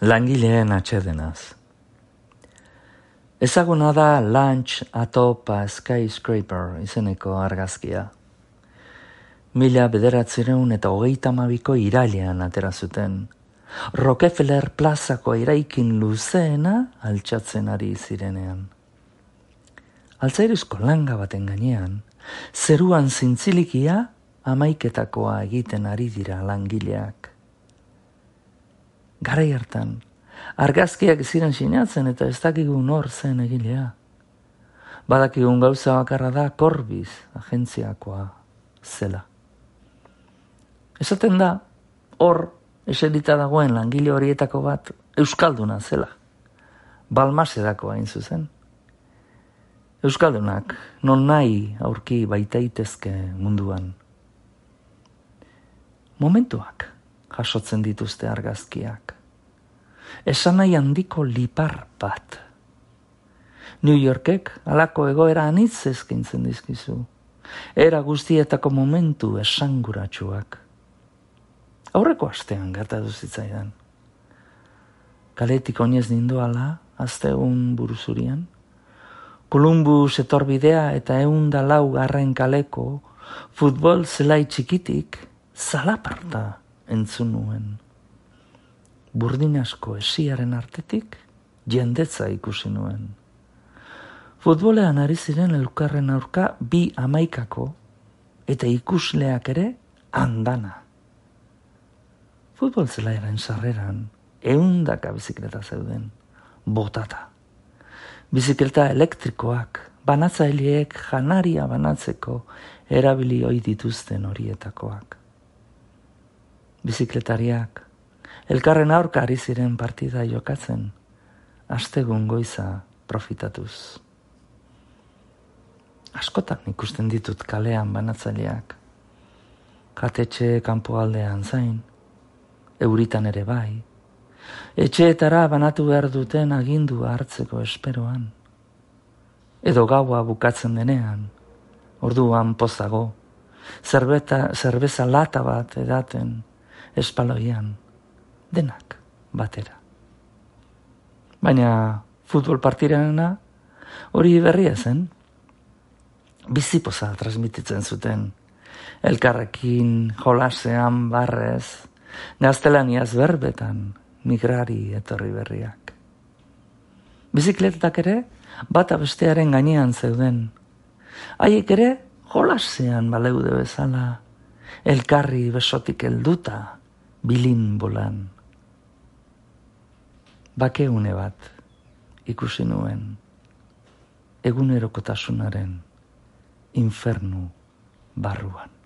Langileen atsedenaz. Ezaguna da Lunch Atop a Skyscraper izeneko argazkia. 1932ko irailean atera zuten. Rockefeller plazako eraikin luzeena altxatzen ari zirenean. Altzairizko langa baten gainean, zeruan zintzilikia hamaiketakoa egiten ari dira langileak. Garai hartan, argazkiak ziren sinatzen eta ez dakigu nor zen egilea. Badakigun gauza bakarra da Corbiz agentziakoa zela. Esaten da, hor eserita dagoen langile horietako bat euskalduna zela. Balmasedako hain zuzen. Euskaldunak non nahi aurki baitaitezke munduan. Momentuak jasotzen dituzte argazkiak. Esan nahi handiko lipar bat. New Yorkek halako egoera anitz eskaintzen dizkizu. Era guztietako momentu esanguratsuak. Aurreko astean gertatu zitzaidan. Kaletik oinez nindoala, astegun buruzurian. Columbus etorbidea eta 104 kaleko futbol zelai txikitik zalaparta entzun nuen. Burdin asko esiaren artetik jendetza ikusi nuen. Futbolean ari ziren elkarren aurka 2-11 eta ikusleak ere andana. Futbol zelaiaren sarreran 100 bizikleta zeuden, botata. Bizikleta elektrikoak, banatzaileek janaria banatzeko erabili ohi dituzten horietakoak. Bizikletariak, elkarren aurka ari ziren partida jokatzen, astegun goiza profitatuz. Askotan ikusten ditut kalean banatzaileak, jatetxe kanpoaldean zain, euritan ere bai, etxeetara banatu behar duten agindua hartzeko esperoan. Edo gaua bukatzen denean, orduan pozago, zerbeza lata bat edaten, espaloian, denak batera. Baina futbol partirena hori berria zen. Bizipoza transmititzen zuten. Elkarrekin jolasean barrez, gaztelaniaz berbetan, migrari etorri berriak. Bizikletak ere bata bestearen gainean zeuden. Haiek ere jolasean baleude bezala, elkarri besotik helduta, bilin bolan. Bakeune bat ikusi nuen, egunerokotasunaren infernu barruan.